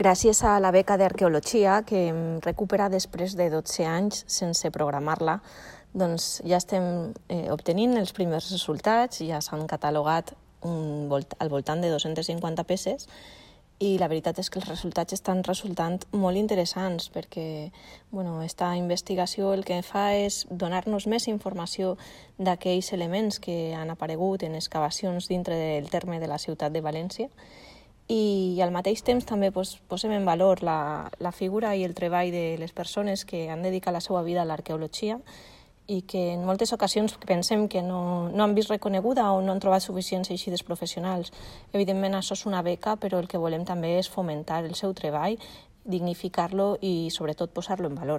Gràcies a la beca d'arqueologia que hem recuperat després de 12 anys sense programar-la, doncs ja estem obtenint els primers resultats, ja s'han catalogat al voltant de 250 peces i la veritat és que els resultats estan resultant molt interessants perquè aquesta investigació el que fa és donar-nos més informació d'aquells elements que han aparegut en excavacions dintre del terme de la ciutat de València i al mateix temps també posem en valor la figura i el treball de les persones que han dedicat la seva vida a l'arqueologia i que en moltes ocasions pensem que no han vist reconeguda o no han trobat suficients eixides professionals. Evidentment, això és una beca, però el que volem també és fomentar el seu treball, dignificar-lo i, sobretot, posar-lo en valor.